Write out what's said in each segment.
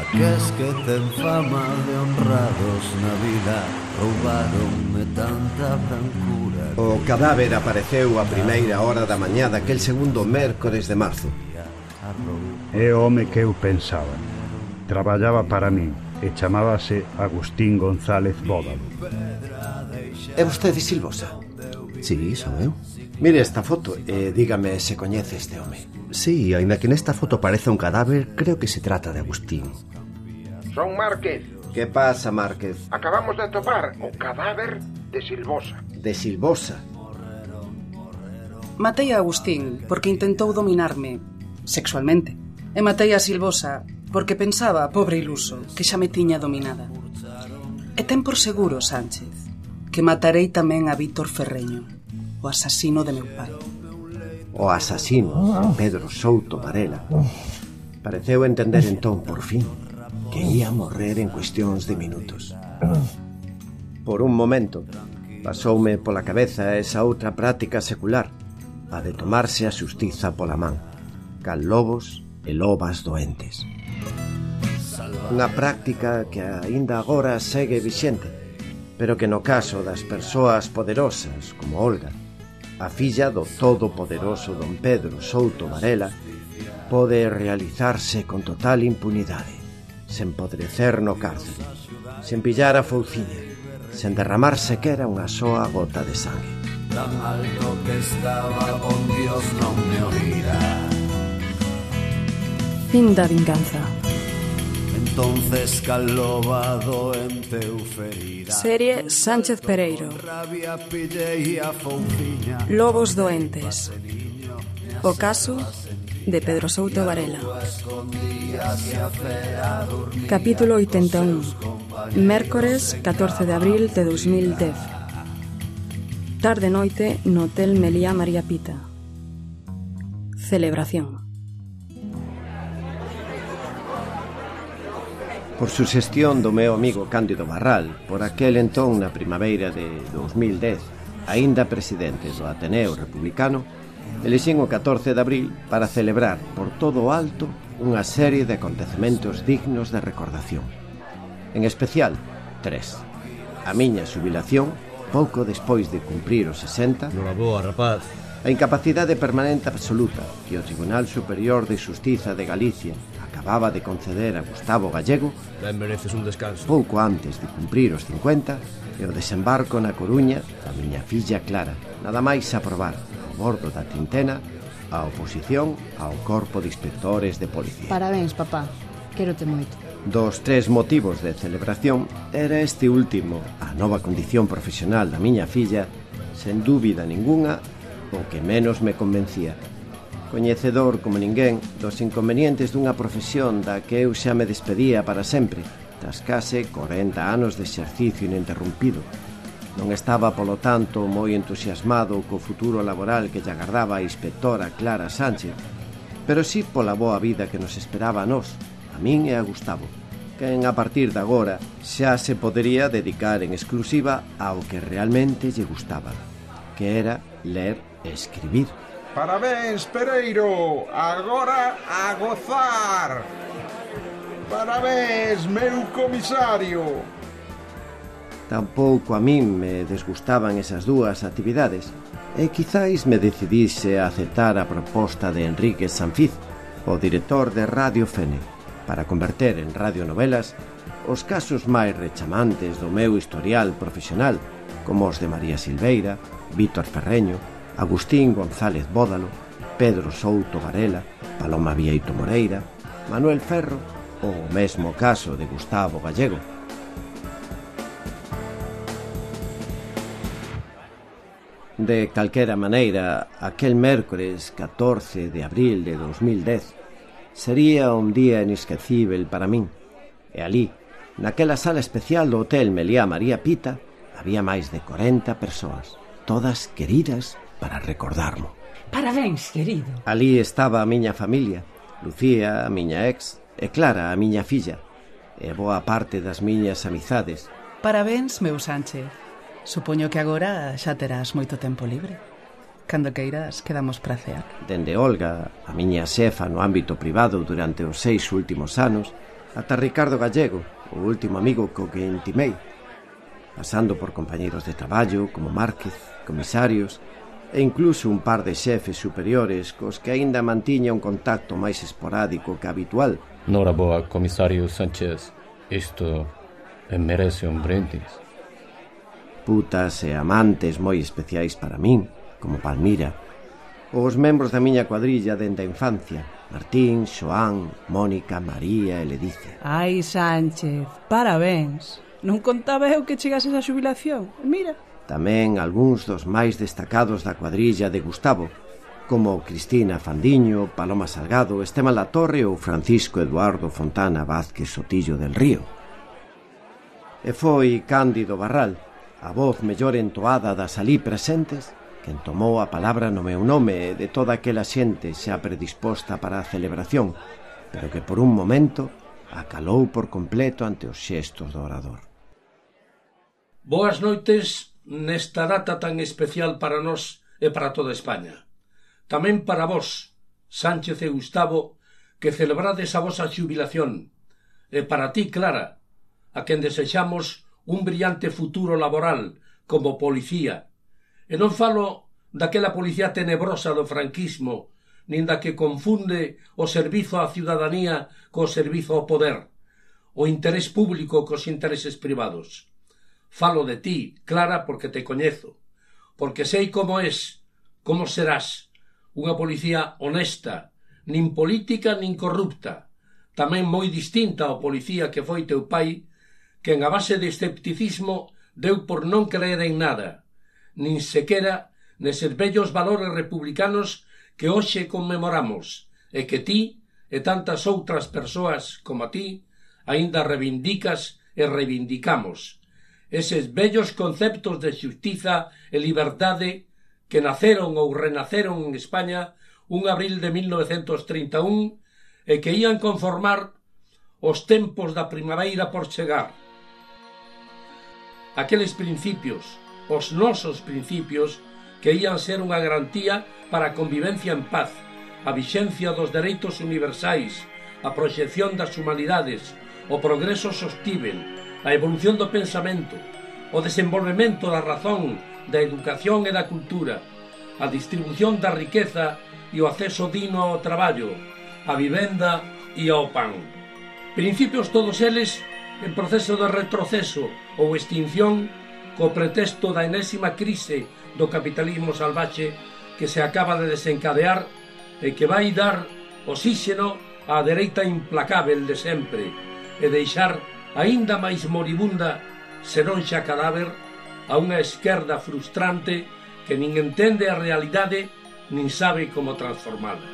Aqueles que ten fama de honrados na vida roubaronme tanta brancura. O cadáver apareceu a primeira hora da mañá daquel segundo mércores de marzo. É o home que eu pensaba. Traballaba para min e chamábase Agustín González Bódalo. É vostede Silvosa? Sí, son eu. Mire esta foto e dígame se coñece este home. Sí, aínda que nesta foto parece un cadáver, creo que se trata de Agustín. Son Márquez. Que pasa, Márquez? Acabamos de atopar o cadáver de Silvosa. De Silvosa? Matei a Agustín porque intentou dominarme sexualmente. E matei a Silvosa porque pensaba, pobre iluso, que xa me tiña dominada. E ten por seguro, Sánchez, que matarei tamén a Víctor Ferreño, o asasino de meu pai. O asasino, Pedro Souto Varela. Pareceu entender entón, por fin, que ia morrer en cuestións de minutos. Por un momento, pasoume pola cabeza esa outra práctica secular, a de tomarse a xustiza pola man, cal lobos e lobas doentes. Unha práctica que aínda agora segue vixente, pero que no caso das persoas poderosas, como Olga, a filla do todopoderoso don Pedro Souto Varela, pode realizarse con total impunidade, sen podrecer no cárcere, sen pillar a fouciña, sen derramar sequera unha soa gota de sangue. Tan alto que estaba, con Dios non me oirá. Fin da vinganza. Entonces caloba doente eu ferida. Serie Sánchez Pereiro. Rabia pillei a fouciña. Lobos doentes. O caso de Pedro Souto Varela. Capítulo 81. Mércores 14 de abril de 2010. Tarde-noite no Hotel Meliá María Pita. Celebración. Por suxestión do meu amigo Cándido Barral, por aquel entón na primavera de 2010, aínda presidente do Ateneo Republicano, elixín o 14 de abril para celebrar por todo o alto unha serie de acontecementos dignos de recordación. En especial, 3. A miña xubilación, pouco despois de cumprir os 60. Noraboa, rapaz. A incapacidade permanente absoluta que o Tribunal Superior de Xustiza de Galicia acababa de conceder a Gustavo Gallego, Ben mereces un descanso. pouco antes de cumprir os 50, e o desembarco na Coruña da miña filla Clara, nada máis aprobar, ao bordo da Tintena, a oposición ao Corpo de Inspectores de Policía. Parabéns, papá. Quérote moito. Dos 3 motivos de celebración, era este último, a nova condición profesional da miña filla, sen dúbida ningunha, o que menos me convencía. Coñecedor como ninguén dos inconvenientes dunha profesión da que eu xa me despedía para sempre, tras case 40 anos de exercicio ininterrumpido. Non estaba, polo tanto, moi entusiasmado co futuro laboral que lle agardaba a inspectora Clara Sánchez, pero sí pola boa vida que nos esperaba a nós, a min e a Gustavo, quen a partir de agora xa se podería dedicar en exclusiva ao que realmente lle gustaba, que era ler e escribir. Parabéns, Pereiro. Agora a gozar. Parabéns, meu comisario. Tampouco a min me desgustaban esas dúas actividades e quizáis me decidise a aceptar a proposta de Enrique Sanfiz, o director de Radio Fene, para converter en radionovelas os casos máis rechamantes do meu historial profesional, como os de María Silveira, Víctor Ferreño, Agustín González Bódalo, Pedro Souto Varela, Paloma Vieito Moreira, Manuel Ferro ou o mesmo caso de Gustavo Gallego. De calquera maneira, aquel mércores 14 de abril de 2010 sería un día inesquecível para min. E alí, naquela sala especial do Hotel Meliá María Pita, había máis de 40 persoas, todas queridas para recordarmo. Parabéns, querido. Alí estaba a miña familia, Lucía, a miña ex, e Clara, a miña filla, e boa parte das miñas amizades. Parabéns, meu Sánchez. Supoño que agora xa terás moito tempo libre. Cando queiras, quedamos para cear. Dende Olga, a miña xefa no ámbito privado durante os 6 últimos anos, ata Ricardo Gallego, o último amigo co que intimei, pasando por compañeiros de traballo como Márquez, comisarios e incluso un par de xefes superiores cos que aínda mantiña un contacto máis esporádico que habitual. Noraboa, comisario Sánchez, isto merece un brindis. Putas e amantes moi especiais para min, como Palmira, os membros da miña cuadrilla dende a infancia, Martín, Xoán, Mónica, María e Ledicia. Ai, Sánchez, parabéns. Non contaba eu que chegases á xubilación. Mira. Tamén algúns dos máis destacados da cuadrilla de Gustavo, como Cristina Fandiño, Paloma Salgado, Esteban Latorre ou Francisco Eduardo Fontana Vázquez Sotillo del Río. E foi Cándido Barral, a voz mellor entoada das alí presentes, quen tomou a palabra no meu nome e de toda aquela xente xa predisposta para a celebración, pero que por un momento acalou por completo ante os xestos do orador. Boas noites nesta data tan especial para nós e para toda España. Tamén para vos, Sánchez e Gustavo, que celebrades a vosa xubilación, e para ti, Clara, a quen desexamos un brillante futuro laboral como policía. E non falo daquela policía tenebrosa do franquismo, nin da que confunde o servizo á ciudadanía co servizo ao poder, o interés público cos intereses privados. Falo de ti, Clara, porque te coñezo, porque sei como és, como serás, unha policía honesta, nin política nin corrupta, tamén moi distinta ao policía que foi teu pai, que en a base de escepticismo deu por non creer en nada, nin sequera neses vellos valores republicanos que hoxe conmemoramos e que ti e tantas outras persoas como a ti aínda reivindicas e reivindicamos. Eses vellos conceptos de xustiza e liberdade que naceron ou renaceron en España un abril de 1931 e que ían conformar os tempos da primavera por chegar. Aqueles principios, os nosos principios, que ían ser unha garantía para a convivencia en paz, a vixencia dos dereitos universais, a proxección das humanidades, o progreso sostível, a evolución do pensamento, o desenvolvemento da razón, da educación e da cultura, a distribución da riqueza e o acceso digno ao traballo, a vivenda e ao pan. Principios todos eles en proceso de retroceso ou extinción co pretexto da enésima crise do capitalismo salvaxe que se acaba de desencadear e que vai dar oxíxeno á dereita implacável de sempre e deixar aínda máis moribunda, senón xa cadáver, a unha esquerda frustrante que nin entende a realidade nin sabe como transformala.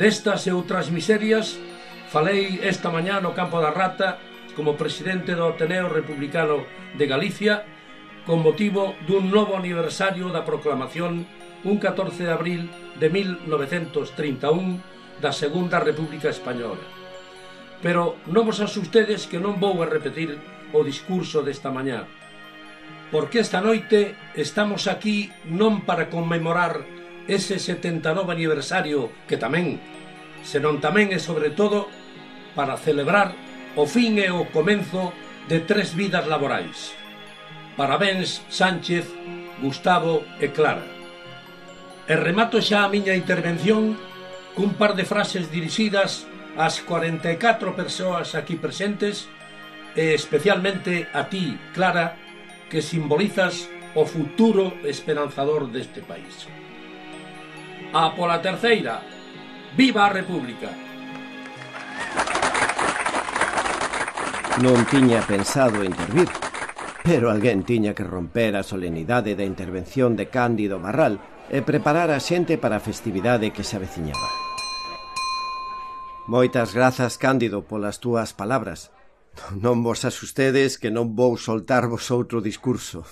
Destas e outras miserias falei esta mañá no Campo da Rata como presidente do Ateneo Republicano de Galicia con motivo dun novo aniversario da proclamación un 14 de abril de 1931 da Segunda República Española. Pero non vos asustedes que non vou a repetir o discurso desta mañá, porque esta noite estamos aquí non para conmemorar ese 79 aniversario que tamén, senón tamén e sobre todo para celebrar o fin e o comenzo de 3 vidas laborais. Parabéns, Sánchez, Gustavo e Clara. E remato xa a miña intervención cun par de frases dirixidas ás 44 persoas aquí presentes e especialmente a ti, Clara, que simbolizas o futuro esperanzador deste país. A pola terceira, viva a República! Non tiña pensado intervir, pero alguén tiña que romper a solenidade da intervención de Cándido Barral e preparar a xente para a festividade que se aveciñaba. Moitas grazas, Cándido, polas túas palabras. Non vos asustedes que non vou soltarvos outro discurso.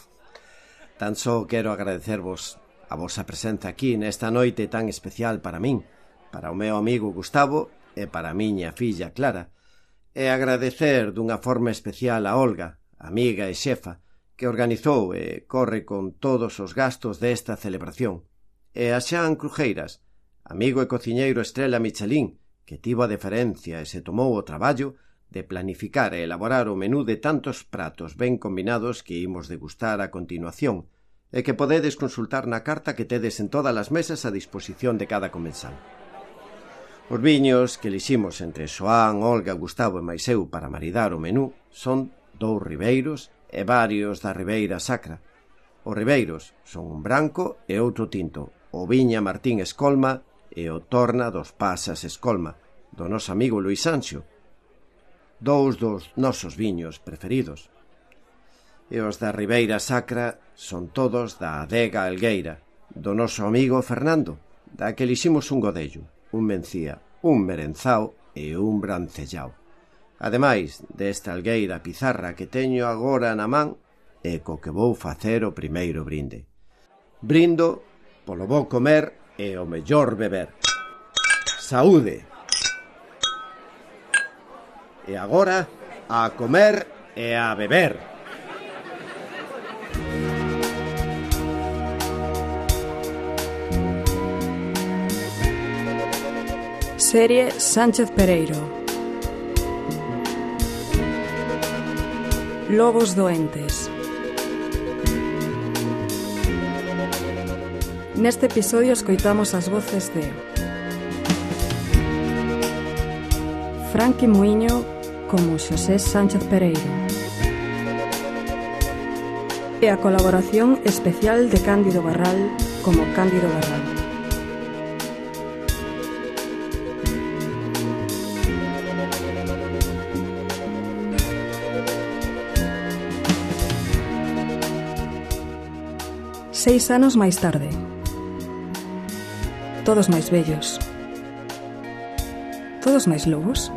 Tan só quero agradecervos a vosa presenza aquí nesta noite tan especial para min, para o meu amigo Gustavo e para a miña filla Clara, e agradecer dunha forma especial a Olga, amiga e xefa, que organizou e corre con todos os gastos desta celebración, e a Xan Crujeiras, amigo e cociñeiro estrela Michelin, que tivo a deferencia e se tomou o traballo de planificar e elaborar o menú de tantos pratos ben combinados que imos degustar a continuación e que podedes consultar na carta que tedes en todas as mesas a disposición de cada comensal. Os viños que eliximos entre Xoán, Olga, Gustavo e mais eu para maridar o menú son 2 ribeiros e varios da Ribeira Sacra. Os ribeiros son un branco e outro tinto, o Viña Martín Escolma e o Torna dos Pasas Escolma, do noso amigo Luís Sancho, 2 dos nosos viños preferidos. E os da Ribeira Sacra son todos da Adega Algueira, do noso amigo Fernando, da que eliximos un godello, un mencía, un merenzao e un brancellao. Ademais desta algueira pizarra que teño agora na man e co que vou facer o primeiro brinde. Brindo polo bo comer e o mellor beber. Saúde! E agora, a comer e a beber. Serie Sánchez Pereiro. Lobos doentes. Neste episodio escoitamos as voces de Franqui Muiño como Xosé Sánchez Pereiro e a colaboración especial de Cándido Barral como Cándido Barral. Seis anos máis tarde. Todos máis vellos. Todos máis lobos.